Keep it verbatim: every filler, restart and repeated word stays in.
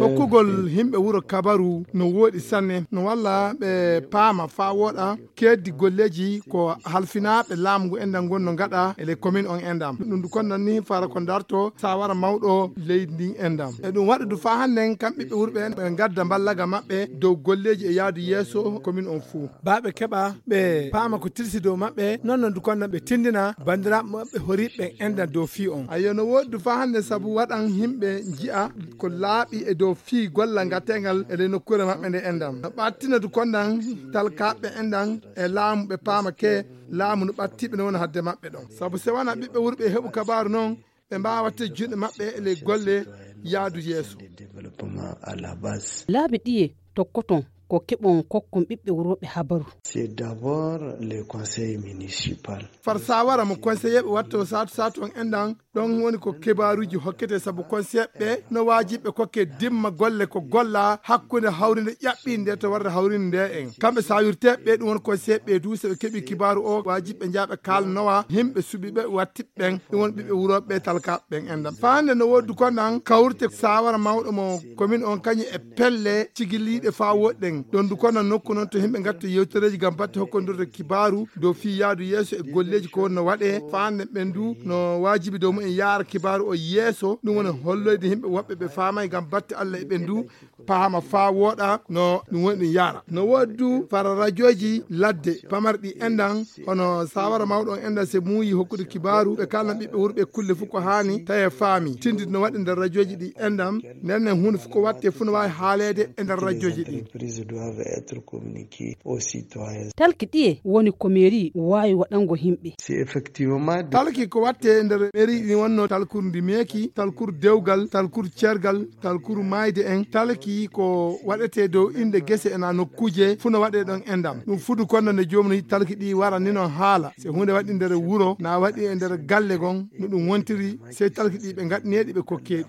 Hokkugol himɓe wuro kabaru no wooɗi sanne, no walla ɓe paama faa wooɗa keeddi golleeji ko halfinaaɓe laamu ngu enɗam ngon no ngaɗa e ley komin on enɗam. Ɗum du konnan ni fara ko darto saawara mawɗo leydi ndin enɗam. E ɗum waɗa du faa hannden kam ɓiɓɓe wuro ɓe ɓe ngadda mballaga maɓɓe dow golleeji e yaadu yeeso komin on fuu. Baa ɓe keɓa ɓe paama ko tilsi dow maɓɓe, non non du konnan ɓe tindina banndiraaɓe maɓɓe horiiɓe ɓen enɗam dow fii on. Ayyo, no wooɗi du faa hannden sabu waɗan himɓe nji'a ko laaɓi e dow fii gollal ngateengal e ley nokkuure maɓɓe nde enɗam. No ɓattina du konnan talkaaɓe enɗam e laamu ɓe paama ke laamu no ɓattiiɓe no wona hadde maɓɓe ɗon. Sabu se wanaa ɓiɓɓe wuro ɓe heɓu kabaaru non, ɓe mbaawa waɗtude juuɗe maɓɓe e ley golle yaadu yeeso. Laabi ɗiye tokkoton ko keɓon kokkon ɓiɓɓe wuro ɓe habaru. Far saawara mo konseyeeɓe wattoo saatu saatu on enɗam, ɗon woni ko kibaaruuji hokkete sabu konseyeeɓe ɓe no waajibi ɓe kokke dimma golle ko golla hakkunde hawrinde ƴaɓɓiinde to warde hawrinde nde en. Kamɓe saawirteeɓe ɓe ɗum woni konseyeeɓe ɓe du, so ɓe keɓii kibaaru o waajibi ɓe njaha ɓe kaalanowa himɓe suɓiiɓe watti ɓen, ɗum woni ɓiɓɓe wurooɓe ɓe talkaaɓe ɓen enɗam. Faa hannde no woodi du konnan kawrite saawara mawɗo mo komin on kañum e pelle cigiliiɗe faa woɗɗen. Ɗon du konnan nokku non to himɓe ngatta yewtereeji ngam batte hokkondirde kibaaru dow fii yaadu yeeso e golleeji ko woni no waɗee. Faa hannde ɓen du no waajibi dow mumen yaara kibaaru o yeeso, ɗum woni holloyde himɓe woɓɓe ɓe faamay ngam batte Alla e ɓen du paama faa wooɗa no ɗum woni ɗum yaara. No woodi du fara rajooji ladde pamarɗi enɗam, hono saawara mawɗo on enɗam se muuyi hokkude kibaaru ɓe kaalna ɓiɓɓe wuro ɓe kulle fof ko haani tawi e faami tindid no waɗi nder rajooji ɗi enɗam. Nden nen huunde fof ko watte fof no waawi haaleede e nder rajooji ɗi. Talki ɗiye woni ko meeri waawi waɗango himɓe? Talki ko watte nder meeri ɗi wonno talkuru ndi meeki, talkuru dewgal, talkuru cergal, talkuru maayde en. Talki ko waɗetee dow innde gese ena nokkuuje fof no waɗee ɗon enɗam. Ɗum fudu konno nde joomum talki ɗi wara ni non haala se huunde waɗi nder wuro na waɗi e nder galle gon no ɗum wontiri, sey talki ɗi ɓe ngaɗineeɗi ɓe kokkeeɗi.